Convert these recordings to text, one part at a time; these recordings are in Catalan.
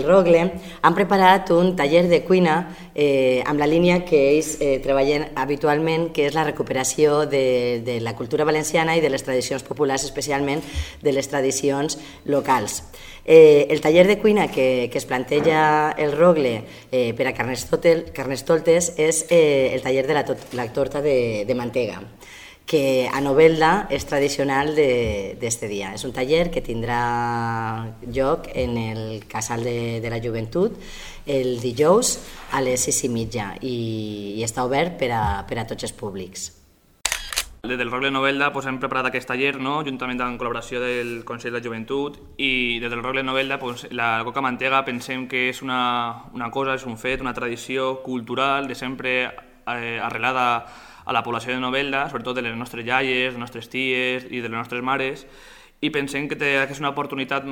Rogle han preparat un taller de cuina amb la línia que ells treballen habitualment, que és la recuperació de la cultura valenciana i de les tradicions populars, especialment de les tradicions locals. El taller de cuina que es planteja el Rogle per a Carnestoltes és el taller de la torta de mantega, que a Novelda és tradicional d'este dia. És un taller que tindrà lloc en el Casal de la Joventut el dijous a les 6:30 i està obert per a tots els públics. Des del Rogle Novelda hem preparat aquest taller, juntament amb col·laboració del Consell de la Joventut, i des del Rogle Novelda la coca mantega pensem que és una cosa, és un fet, una tradició cultural de sempre arrelada a la població de Novelda, sobretot de les nostres iaies, de les nostres ties i de les nostres mares, i pensem que és una oportunitat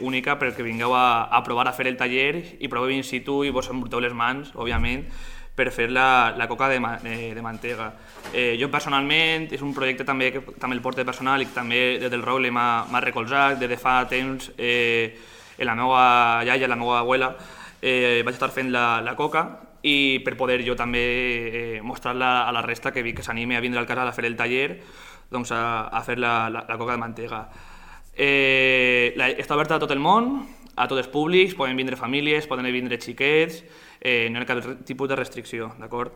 única perquè vingueu a provar a fer el taller i proveu in situ i vos embruteu les mans, òbviament, per fer la coca de mantega. Jo personalment, és un projecte també que també el porte personal i que també des del Rogle m'ha recolzat. Des de fa temps la meva iaia, la meva abuela, vaig estar fent la coca i per poder jo també mostrar-la a la resta que s'anime a vindre al casal a fer el taller, doncs a fer la coca de mantega. Està oberta a tot el món, a tots els públics, poden vindre famílies, poden vindre xiquets, no hi ha cap tipus de restricció, d'acord?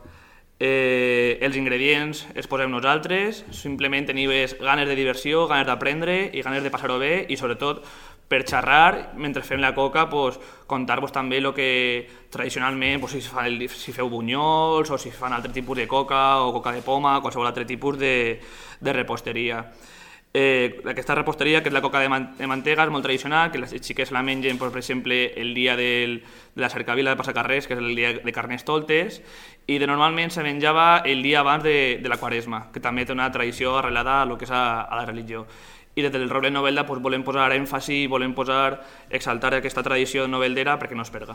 Els ingredients els posem nosaltres, simplement teniu ganes de diversió, ganes d'aprendre i ganes de passar-ho bé i sobretot per xerrar, mentre fem la coca, contar-vos també el que tradicionalment, si feu bunyols o si fan altre tipus de coca o coca de poma, qualsevol altre tipus de reposteria. Aquesta reposteria, que és la coca de mantega, és molt tradicional, que les xiques la mengen, per exemple, el dia de la cercavila de Passacarrers, que és el dia de Carnestoltes, i normalment se menjava el dia abans de la Quaresma, que també té una tradició arrelada a lo que és a la religió. I des del Rogle Novelda volem posar èmfasi, volem exaltar aquesta tradició noveldera perquè no es perga.